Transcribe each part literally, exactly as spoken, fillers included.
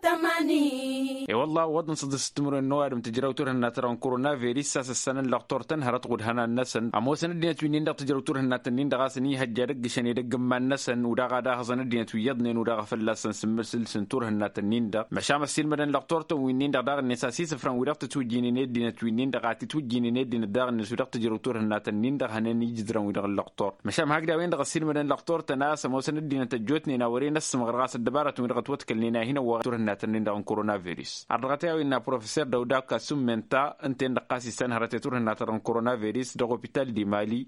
Tămani. E-wălla wăḍăn s-dd-s timǝrwen n-ăwadǝm tǝjraw turhǝnna ta dăɣ-n koronaviris a-s ǝssanăn lăqtor-tăn hărăt ɣud-hănan-năsăn ămoosăn ăddinăt wi-nin-dăɣ tǝjraw turhǝnna ta nin-dăɣ a-s ănihăjja dăgg-išăn edăgg n-iman-năsăn u-daɣ ad-ahăẓăn ăddinăt wi iyyăḍnen u-daɣ a fălla-săn sǝmmǝsǝl s-turhǝnna ta nin-dăɣ măšan ăssiilmădăn lăqtor-tăn wi-nin-dăɣ daɣ-net a-s isǝfrăn wi-dăɣ tǝtwǝjjǝynen i-ăddinăt wi-nin-dăɣ a tǝtwǝjjǝynen i-ăddinăt daɣ-net wi-dăɣ tǝjraw turhǝnna ta nin-dăɣ hănen ijǝdrăn wi-dăɣ n-lăqtor. Măšan hakd a-wen-dăɣ ăssiilmădăn lăqtor-tăn a-s ămoosăn ăddinăt ăjjootnen a wăren ăssǝmɣăr ɣas ăddăbarătăn wi-dăɣ ătwăḍkălnen a hin-ăwwăɣăn turhǝnna ta nin-dăɣ n-koronaviris. Ardăɣăt i-a-wen n-aprofeser dăw-dak asǝmmen ta ǝnta-en-dăɣ ɣas issan hărăt i-turhǝnna ta dăɣ-n koronaviris dăɣ-opital di mali.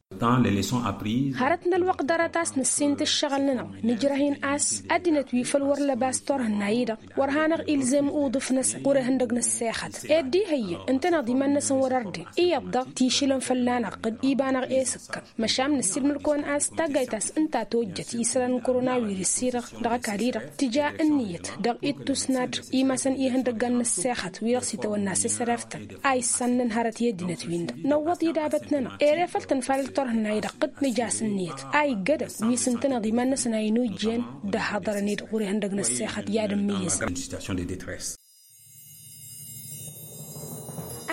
Hărăt n-ălwăqq ḍarăt a-s nǝssin-t ǝššăɣǝl-nănăɣ nǝjrăh-in a-s ăddinăt wi făl wăr lăbas turhǝnna-i-dăɣ wăr hanăɣ-ilzem uḍǝf-năsăn ɣur-ihăndăg n-ăssexăt ed d-ihăyyăn ǝnta-năɣ d-iman-năsăn wăr ărdin iyyăḍ daɣ tišǝlăn fălla-năɣ d-iba-năɣ e-sǝkkăn. Măšan nǝssilmăl-kăwăn a-s taggayt a-s ǝnta a tojjăt isălan n-koronawiris-i-dăɣ dăɣ-ăkall-i-dăɣ tǝja ǝnniyăt dăɣ-ittus n-ad-imasăn ihăndăggan n-ăssexăt wi-dăɣ s-itawănna s-esăreftăn a issan-năn hărăt i-ăddinăt-win-dăɣ năwwăḍ idabăt-nănăɣ ere făl tǝnfalăl turhǝnna-i-dăɣ dd-nǝj'-as ǝnniyăt a iggădăn wi s-ǝntăneḍ iman-năsăn a inujjen d-ăhhăḍărăn-dd ɣur-ihăndăg n-ăssexăt i-ad-ǝmmǝyyǝzăn.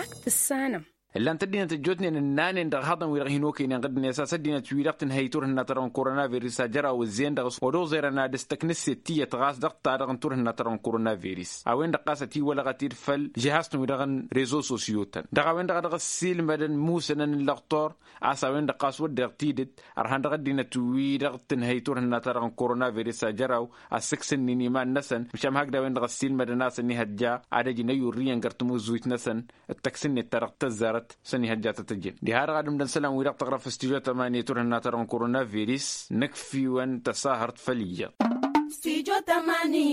Ak tǝssanăm. Ǝllan-t ăddinăt ăjjootnen ǝnnanen dăɣ-ihăḍăn-wi-dăɣ hin-okăynen ɣǝddǝnet a-s ăddinăt-wi-dăɣ tǝnhăy turhǝnna ta dăɣ-n koronaviris a jăraw ǝzzeyăn dăɣ-s wăr-oẓerăn ad-ǝstăknǝsset tiyyăt ɣas dăɣ-ta-dăɣ n-turhǝnna ta dăɣ-n koronaviris a-wen-dăɣ ɣas ătiwălăɣăt-dd făll-žihaz-tăn-wi-dăɣ n-rezo sosyo-tăn dăɣ-a-wen-dăɣ a dăɣ-ăssiilmădăn musănăn n-lăqtor. A-s a-wen-dăɣ ɣas wădden tidǝt ărhan dăɣ-ăddinăt-wi-dăɣ tǝnhăy turhǝnna ta dăɣ-n koronaviris a jăraw ăssǝksǝnnin iman-năsăn măšan hakd a-wen-dăɣ ăssiilmădăn a-s ănihăjja ad-ăj n-ăyurrǝyăn găr-timǝzuyt-năsăn d-tăkk s-net ta dăɣ-tăzzarăt s-ănihăjja tăt-ăjjăn diha-dăɣ ad-ǝmdăn isălan-wi-dăɣ tăɣrăf s-tijo tămani turhǝnna ta dăɣ-n koronaviris. Nǝkf'-iwăn tăsahărt făll-iyyăḍ. Tijo tămani.